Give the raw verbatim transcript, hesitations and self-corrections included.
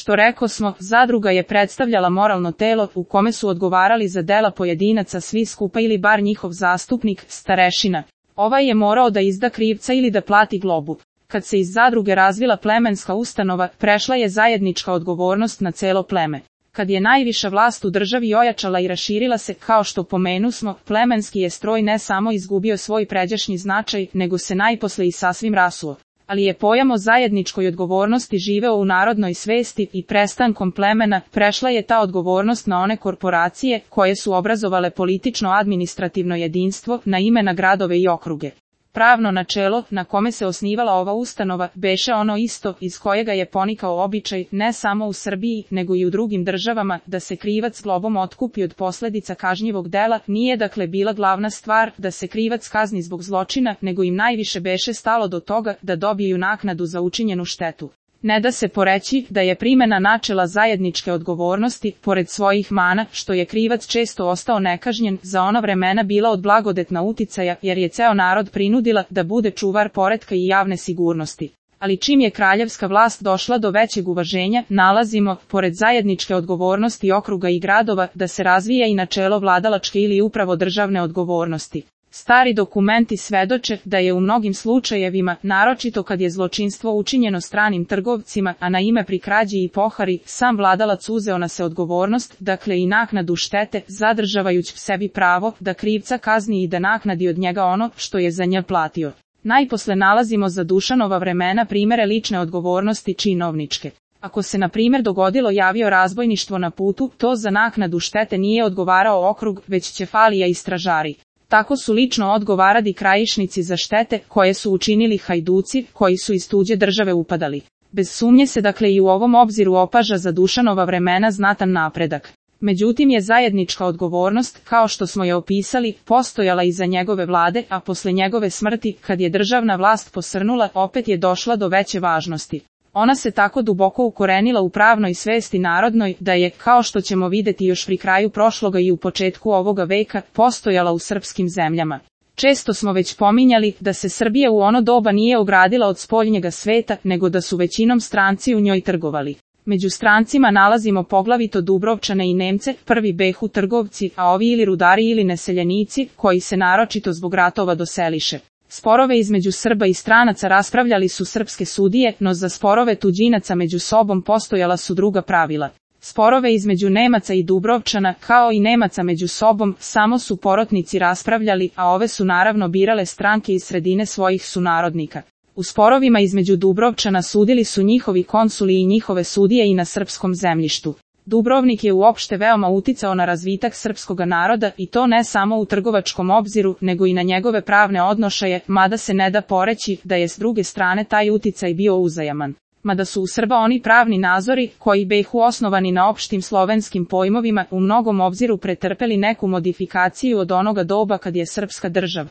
Što rekosmo, zadruga je predstavljala moralno telo u kome su odgovarali za dela pojedinaca svi skupa ili bar njihov zastupnik, starešina. Ovaj je morao da izda krivca ili da plati globu. Kad se iz zadruge razvila plemenska ustanova, prešla je zajednička odgovornost na celo pleme. Kad je najviša vlast u državi ojačala i raširila se, kao što pomenusmo, plemenski je stroj ne samo izgubio svoj pređašnji značaj, nego se najposle i sasvim rasuo. Ali je pojam o zajedničkoj odgovornosti živeo u narodnoj svesti i prestankom plemena, prešla je ta odgovornost na one korporacije koje su obrazovale politično-administrativno jedinstvo na ime na gradove i okruge. Pravno načelo, na kome se osnivala ova ustanova, beše ono isto iz kojega je ponikao običaj, ne samo u Srbiji, nego i u drugim državama, da se krivac globom otkupi od posledica kažnjivog dela. Nije dakle bila glavna stvar da se krivac kazni zbog zločina, nego im najviše beše stalo do toga da dobiju naknadu za učinjenu štetu. Ne da se poreći da je primena načela zajedničke odgovornosti, pored svojih mana, što je krivac često ostao nekažnjen, za ona vremena bila od blagodetna uticaja, jer je ceo narod prinudila da bude čuvar poretka i javne sigurnosti. Ali čim je kraljevska vlast došla do većeg uvaženja, nalazimo, pored zajedničke odgovornosti okruga i gradova, da se razvija i načelo vladalačke ili upravo državne odgovornosti. Stari dokumenti svedoče da je u mnogim slučajevima, naročito kad je zločinstvo učinjeno stranim trgovcima, a na ime pri krađi i pohari, sam vladalac uzeo na se odgovornost, dakle i naknadu štete, zadržavajući sebi pravo da krivca kazni i da naknadi od njega ono što je za nje platio. Najposle nalazimo za Dušanova vremena primere lične odgovornosti činovničke. Ako se na primjer dogodilo javio razbojništvo na putu, to za naknadu štete nije odgovarao okrug, već ćefalija i stražari. Tako su lično odgovarali krajišnici za štete koje su učinili hajduci koji su iz tuđe države upadali. Bez sumnje se dakle i u ovom obziru opaža za Dušanova vremena znatan napredak. Međutim je zajednička odgovornost, kao što smo je opisali, postojala i za njegove vlade, a posle njegove smrti, kad je državna vlast posrnula, opet je došla do veće važnosti. Ona se tako duboko ukorenila u pravnoj svesti narodnoj, da je, kao što ćemo videti još pri kraju prošloga i u početku ovoga veka, postojala u srpskim zemljama. Često smo već pominjali da se Srbija u ono doba nije ogradila od spoljnjega sveta, nego da su većinom stranci u njoj trgovali. Među strancima nalazimo poglavito Dubrovčane i Nemce, prvi behu trgovci, a ovi ili rudari ili neseljenici, koji se naročito zbog ratova doseliše. Sporove između Srba i stranaca raspravljali su srpske sudije, no za sporove tuđinaca među sobom postojala su druga pravila. Sporove između Nemaca i Dubrovčana, kao i Nemaca među sobom, samo su porotnici raspravljali, a ove su naravno birale stranke iz sredine svojih sunarodnika. U sporovima između Dubrovčana sudili su njihovi konsuli i njihove sudije i na srpskom zemljištu. Dubrovnik je uopšte veoma uticao na razvitak srpskoga naroda i to ne samo u trgovačkom obziru, nego i na njegove pravne odnošaje, mada se ne da poreći da je s druge strane taj uticaj bio uzajaman. Mada su u Srba oni pravni nazori, koji behu osnovani na opštim slovenskim pojmovima, u mnogom obziru pretrpeli neku modifikaciju od onoga doba kad je srpska država